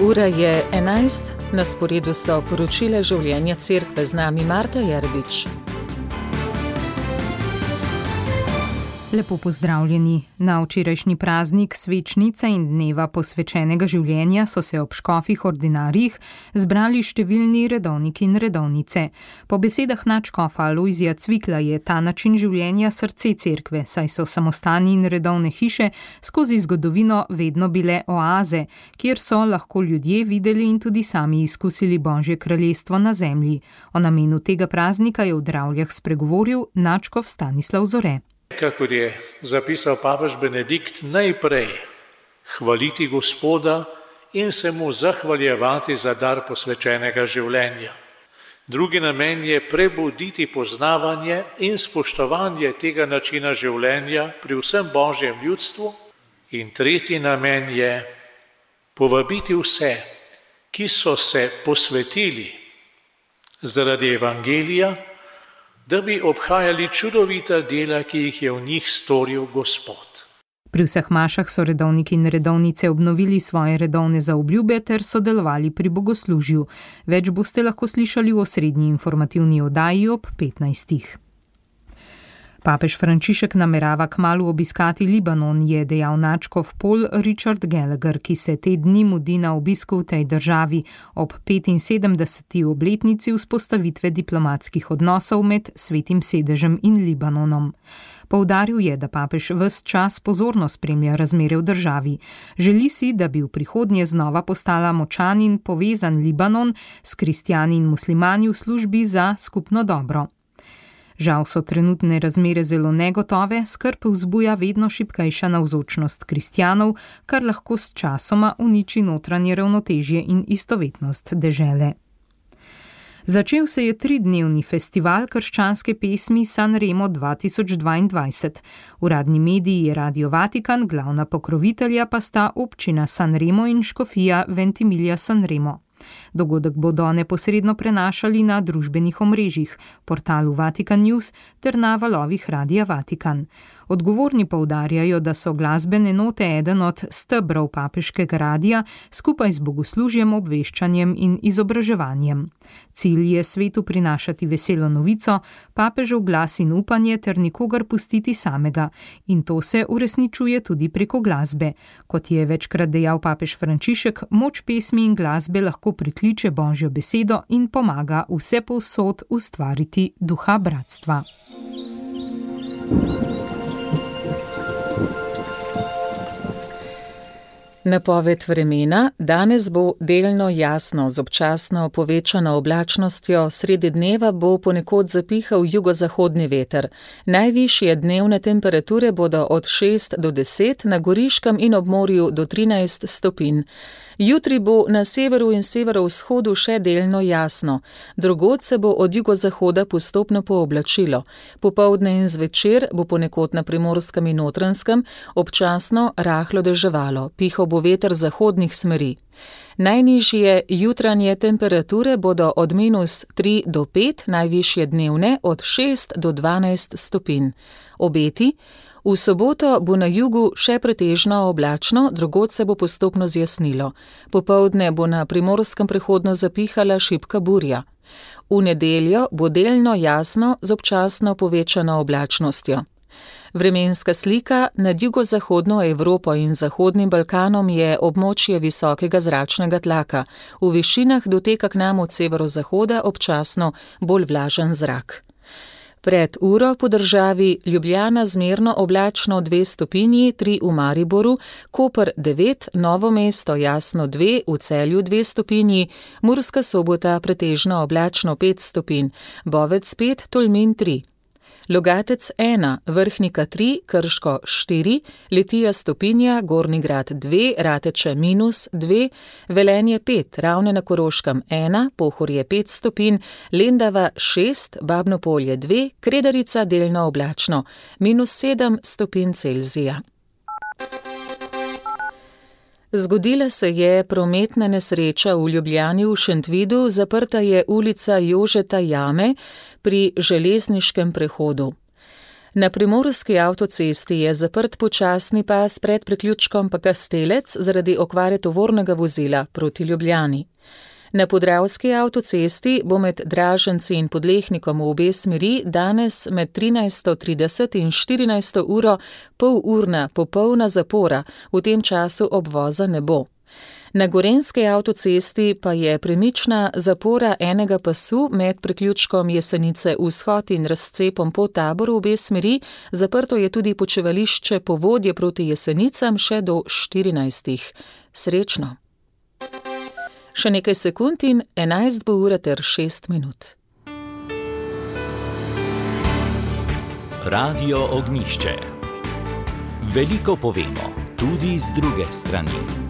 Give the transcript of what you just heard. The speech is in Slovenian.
Ura je 11, na sporedu so poročila življenja cerkve, z nami Marta Jerbič. Lepo pozdravljeni. Na včerajšnji praznik svečnice in dneva posvečenega življenja so se ob škofih ordinarijih zbrali številni redovniki in redovnice. Po besedah nadškofa Alojzija Cvikla je ta način življenja srce cerkve, saj so samostani in redovne hiše skozi zgodovino vedno bile oaze, kjer so lahko ljudje videli in tudi sami izkusili Božje kraljestvo na zemlji. O namenu tega praznika je v Dravljah spregovoril nadškof Stanislav Zore. Kakor je zapisal papež Benedikt, najprej hvaliti Gospoda in se mu zahvaljevati za dar posvečenega življenja. Drugi namen je prebuditi poznavanje in spoštovanje tega načina življenja pri vsem Božjem ljudstvu. In tretji namen je povabiti vse, ki so se posvetili zaradi evangelija, da bi obhajali čudovita dela, ki jih je v njih storil Gospod. Pri vseh mašah so redovniki in redovnice obnovili svoje redovne zaobljube ter sodelovali pri bogoslužju. Več boste lahko slišali v osrednji informativni oddaji ob 15. Papež Frančišek namerava kmalu obiskati Libanon, je dejal nadškof Paul Richard Gallagher, ki se te dni mudi na obisku v tej državi ob 75. obletnici vzpostavitve diplomatskih odnosov med Svetim sedežem in Libanonom. Poudaril je, da papež ves čas pozorno spremlja razmere v državi. Želi si, da bi v prihodnje znova postala močan in povezan Libanon s kristjani in muslimani v službi za skupno dobro. Žal so trenutne razmere zelo negotove, skrb vzbuja vedno šibkejša navzočnost kristjanov, kar lahko s časoma uniči notranje ravnotežje in istovetnost dežele. Začel se je 3-dnevni festival krščanske pesmi Sanremo 2022. Uradni mediji je Radio Vatikan, glavna pokrovitelja pa sta občina Sanremo in škofija Ventimiglia Sanremo. Dogodek bodo neposredno prenašali na družbenih omrežjih, portalu Vatikan News ter na valovih Radia Vatikan. Odgovorni poudarjajo, da so glasbene note eden od stebrov papeškega radija skupaj z bogoslužjem, obveščanjem in izobraževanjem. Cilj je svetu prinašati veselo novico, papežev glas in upanje ter nikogar pustiti samega. In to se uresničuje tudi preko glasbe. Kot je večkrat dejal papež Frančišek, moč pesmi in glasbe lahko prikliče Božjo besedo in pomaga vsepovsod ustvariti duha bratstva. Napoved vremena. Danes bo delno jasno, z občasno povečano oblačnostjo, sredi dneva bo ponekod zapihal jugozahodni veter. Najvišje dnevne temperature bodo od 6 do 10, na Goriškem in ob morju do 13 stopinj. Jutri bo na severu in severovzhodu še delno jasno. Drugod se bo od jugozahoda postopno pooblačilo. Popoldne in zvečer bo ponekod na Primorskem in Notranjskem občasno rahlo deževalo. Pihal bo veter zahodnih smeri. Najnižje jutranje temperature bodo od -3 do 5, najvišje dnevne od 6 do 12 stopinj. Obeti. V soboto bo na jugu še pretežno oblačno, drugod se bo postopno zjasnilo. Popoldne bo na Primorskem prehodno zapihala šibka burja. V nedeljo bo delno jasno z občasno povečano oblačnostjo. Vremenska slika. Nad jugozahodno Evropo in Zahodnim Balkanom je območje visokega zračnega tlaka. V višinah doteka k nam od severozahoda občasno bolj vlažen zrak. Pred uro po državi Ljubljana zmerno oblačno 2 stopinji, 3 v Mariboru, Koper 9, Novo mesto jasno 2, v Celju 2 stopinji, Murska Sobota pretežno oblačno 5 stopinj, Bovec 5, Tolmin 3. Logatec 1, Vrhnika 3, Krško 4, Litija stopinja, Gornji Grad 2, Rateče -2, Velenje 5, Ravne na Koroškem 1, Pohorje 5 stopinj, Lendava 6, Babno Polje 2, Kredarica delno oblačno, -7 stopinj Celzija. Zgodila se je prometna nesreča v Ljubljani v Šentvidu, zaprta je ulica Jožeta Jame pri železniškem prehodu. Na primorski avtocesti je zaprt počasni pas pred priključkom Kastelec zaradi okvare tovornega vozila proti Ljubljani. Na podravski avtocesti bo med Draženci in Podlehnikom v obe smeri danes med 13:30 in 14. uro polurna popolna zapora, v tem času obvoza ne bo. Na gorenjski avtocesti pa je premična zapora enega pasu med priključkom Jesenice vzhod in razcepom po Taboru v obe smeri, zaprto je tudi počivališče Povodje proti Jesenicam še do 14. Srečno! Še nekaj sekund in 11 bo ura ter 6 minut. Radio Ognjišče. Veliko povemo, tudi z druge strani.